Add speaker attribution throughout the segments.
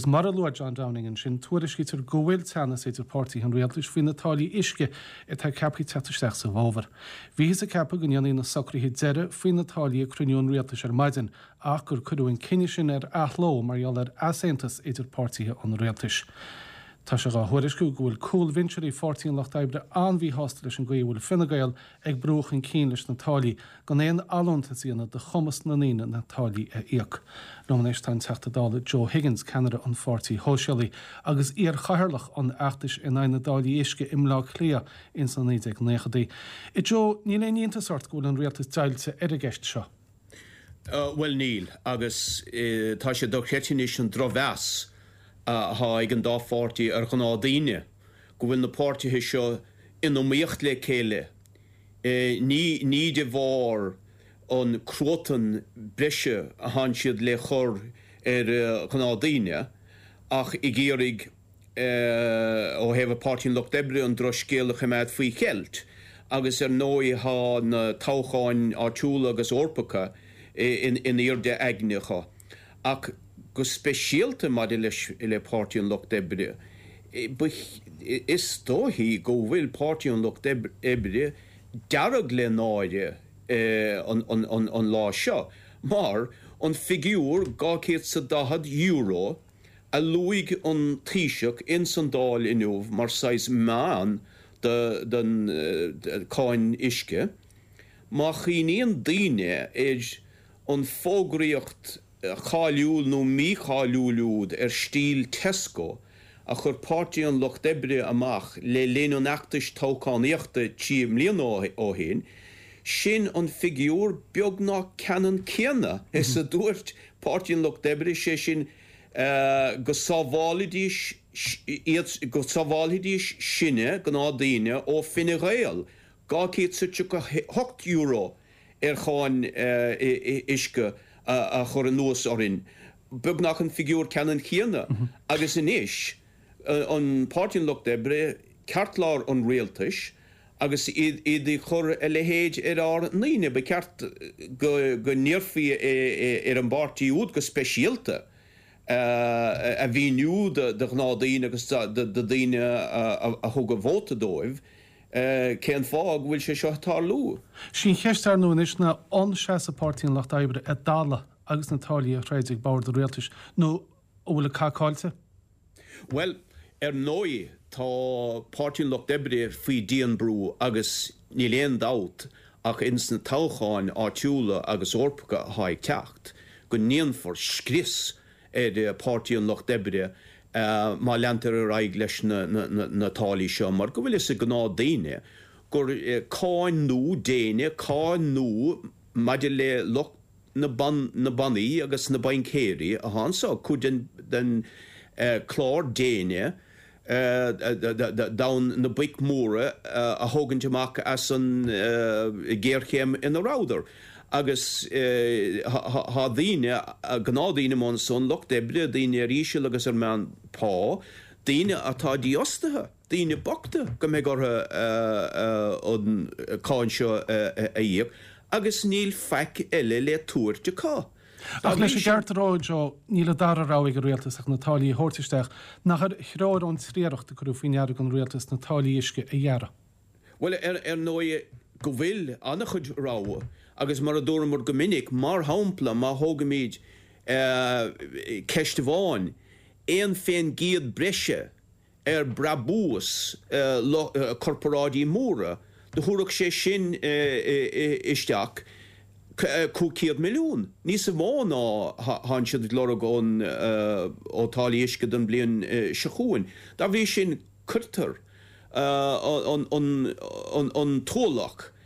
Speaker 1: Agus mar a luaigh John Downing ansin, tuairiscítear go bhfuil teannas idir páirtithe an rialtais faoi na táillí uisce atá ceaptha teacht isteach sa bhfómhar. Bhíothas ag ceapadh go ndéanfaí na socruithe deiridh faoi na táillí ag cruinniú an rialtais ar maidin ach gur cuireadh an cinneadh sin ar athló mar gheall ar easaontas idir páirtithe an rialtais. Tá sé dhá thuairisciú go bhfuil cúlbhinseoirí Pháirtí an Lucht Oibre an-mhíshásta leis an gcaoi a bhfuil Fine Gael ag brú chun cinn leis na táillí, gan aon allúntas a dhéanamh do chumas na ndaoine na táillí a íoc. Liom anois tá an Teachta Dála Joe Higgins, ceannaire an Pháirtí Shóisialaigh agus iar-chathaoirleach an fheachtais in aghaidh na dtáillí uisce i mBleá Cliath ins na 1990idí. A Joe, níl aon iontas ort go bhfuil an rialtas deighilte ar an gceist seo?
Speaker 2: Bhuel, níl, agus tá sé dochreidte anois an drochmheas atá ag an dá pháirtí ar ghnáthdaoine, go bhfuil na páirtithe seo in iomaíocht le chéile, ní ní de bharr an cruatan breise atánn siad le chur ar ghnáthdaoine, ach ag iarraidh. ó thaobh Páirtí an Lucht Oibre an drochscéal a choimeád faoi cheilt agus ar ndóigh tá na toghcháin áitiúla agus Eorpacha in airde aigne acu. Ach go speisialta maidir leis le Páirtí an Lucht Oibre, is dóichí go bhfuil Páirtí an Lucht Oibre dearg le náire an lá seo mar an figiúr €240 a luaigh an Taoiseach ins an Dáil inniu mar saghas meán don cáin uisce, má chuimhníonn daoine ar an fógraíocht cháiliúil nó mícháiliúil úd ar stíl Tesco a chuir Páirtí an Lucht Oibre amach le linn an fheachtais toghchánaíochta 3 mbliana ó shin, sin an figiúr beagnach ceannann céanna is a dúirt Páirtí an Lucht Oibre, sé sin go sábhálfaidís iad, go sábhálfaidís sinne, gnáthdaoine, ó Fine Gael, €238 ar cháin uisce a chur anuas orainn, beagnach an figiúr ceannann céanna. Agus anois, an Páirtí an Lucht Oibre, ceartlár an rialtais, Agus iad ag cur a leithéid ar ár ndaoine, ba cheart go n-iarrfaí ar an bpáirtí úd go speisialta a mhíniú do ghnáthdaoine agus do dhaoine a thug a vóta dóibh cén fáth go bhfuil sé seo ag tarlú.
Speaker 1: Sí an cheist ar ndóigh anois ná an seasfaidh Páirtí an Lucht Oibre a dtalamh agus na táillí a throid ag bord an rialtais nó an bhfuil an cath caillte?
Speaker 2: Bhuel, ar ndóigh, tá Páirtí an Lucht Oibre faoi dian-brú agus níl aon dabht ach ins na toghcháin áitiúla agus Eorpacha atá ag teacht, go ndéanfar scrios ar Páirtí an Lucht Oibre má leantar ar aghaidh leis na táillí seo, mar go bhfuil fhios ag gnáthdaoine gur cáin nua déine, cáin nua maidir le lucht na bannaí agus na baincéirí atá anso, cuid den chlár déine d'fhonn na boic mhóra a thógaint amach as an ghéarchéim ina rabhadar. Agus tá daoine, gnáthdaoine amuigh ansan, lucht oibre, daoine ar íseal agus ar meán pá, daoine atá dífhostaithe, daoine bochta go mbeidh orthu an cáin seo a íoc agus níl faic eile le tabhairt acu.
Speaker 1: Ach leis an gceart a rá, Joe, níl an dara rogha ag an rialtas ach na táillí a thabhairt isteach. Nach ar threoir ón Triaireacht a cuireadh faoi ndeara don rialtas na táillí uisce a ghearradh?
Speaker 2: Bhuel, ar ndóigh go bhfuil an-chuid rogha agus mar a dúramar go minic, mar shampla, má thógaimid ceist amháin, 1% breise ar brabús corparáidí móra, do thabharfadh sé sin isteach 500 milliún, níos mó ná thánn siad ag lorg ón ó táillí uisce don bhliain seo chugainn. Dá bhrí sin, cuirtear an t-ualach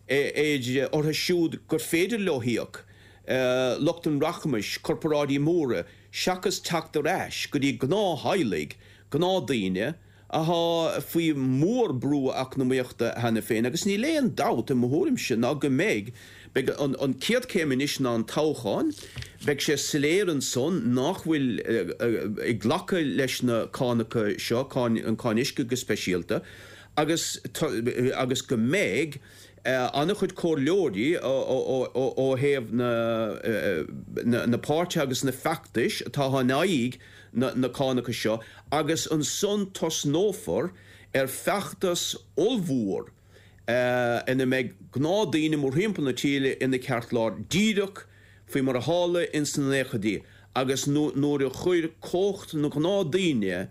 Speaker 2: ar orthu siúd gur féidir leo íoc, lucht an rachmais, corparáidí móra, seachas teacht ar ais go dtí gnáth-theaghlaigh, gnáthdaoine, athá faoi mhór-brú eacnamaíochta cheana féin. Agus níl aon dabht, i mo thuairimse, ná go mbeidh, beidh an, an chéad chéim anois ná an toghchán, beidh sé soiléir ansan nach bhfuil ag glacadh leis na cánacha seo, cáin, an cáin uisce go speisialta, agus, agus go mbeidh an-chuid comhairleoirí ó thaobh na, na páirtithe agus na feachtais atá in aghaidh. na cánacha seo agus ansan tosnófar ar feachtas ollmhór ina mbeidh gnáthdaoine mórthimpeall na tíre ina ceartlár, díreach faoi mar a tharla ins na naochaidí agus nuair a chuir cumhacht na ngnáthdaoine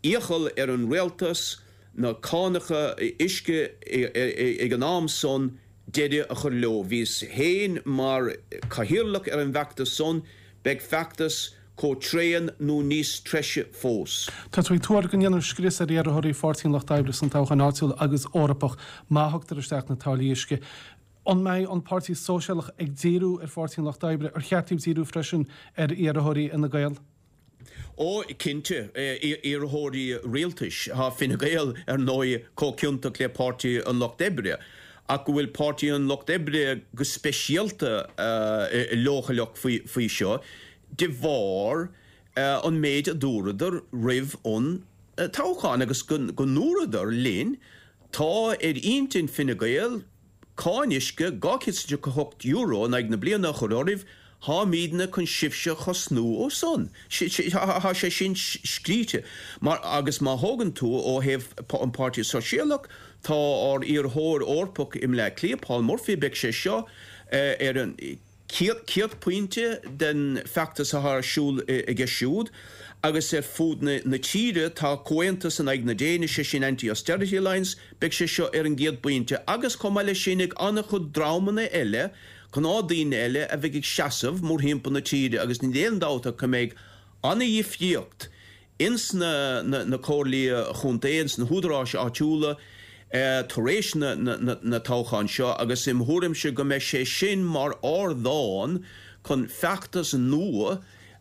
Speaker 2: iachall ar an rialtas na cánacha uisce ag an am san deireadh a chur leo. Bhíos féin mar chathaoirleach ar an bhfeachtas san, beidh feachtas chomh tréan nó níos treise fós.
Speaker 1: Tá tú ag tuar go ndéanfar scrios ar iarrthóirí Pháirtí an Lucht Oibre sna toghcháin áitiúil agus Eorpach má thugtar isteach na táillí uisce. An mbeidh an Páirtí Sóisialach ag díriú ar Pháirtí an Lucht Oibre? Ar cheart daoibh díriú freisin ar iarrthóirí Fhine Gael?
Speaker 2: Ó, cinnte, iarrthóirí rialtais. Tá Fine Gael, ar ndóigh, chomh ciontach le Páirtí an Lucht Oibre, ach go bhfuil Páirtí an Lucht Oibre go speisialta leochaileach faoi seo de bharr an méid a dúradar roimh an toghchán agus go ndúradar linn, tá ar intinn Fine Gael, Cáin uisce €238 in aghaidh na bliana a chur oraibh, táimidne chun sibhse a chosnú ó san. Tá sé sin scríte. Mar, agus má thógann tú ó thaobh an Páirtí Sóisialach, tá ár iarrthóir Eorpach i mBleá Cliath, Paul Murphy, beidh sé seo ar an. chéad phointe den feachtas atá ar siúl aige siúd, agus ar fud na tíre tá Comhaontas in aghaidh na Déine, sé sin Anti-Austerity Alliance, beidh sé seo ar an gcéad bpointe, agus chomh maith leis sin ag an-chuid dreamanna eile, gnáthdaoine eile a bheidh ag seasamh mórthimpeall na tíre agus níl aon dabht ach go mbeidh an-dhifríocht ins na comhairlí chontae, ins na húdaráis áitiúla tar éis na toghchán seo agus im thuairimse go mbeidh sé sin mar ardán chun feachtas nua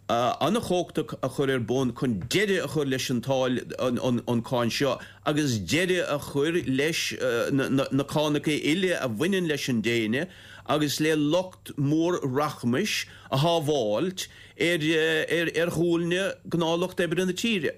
Speaker 2: an-chumhachtach a chur ar bun chun deireadh a chur leis an táille, an cáin seo agus deireadh a chur leis na cánacha uile a bhaineann leis an déine agus le lucht mór rachmais a shábháilt ar ghuailne gnáthlucht oibre na tíre.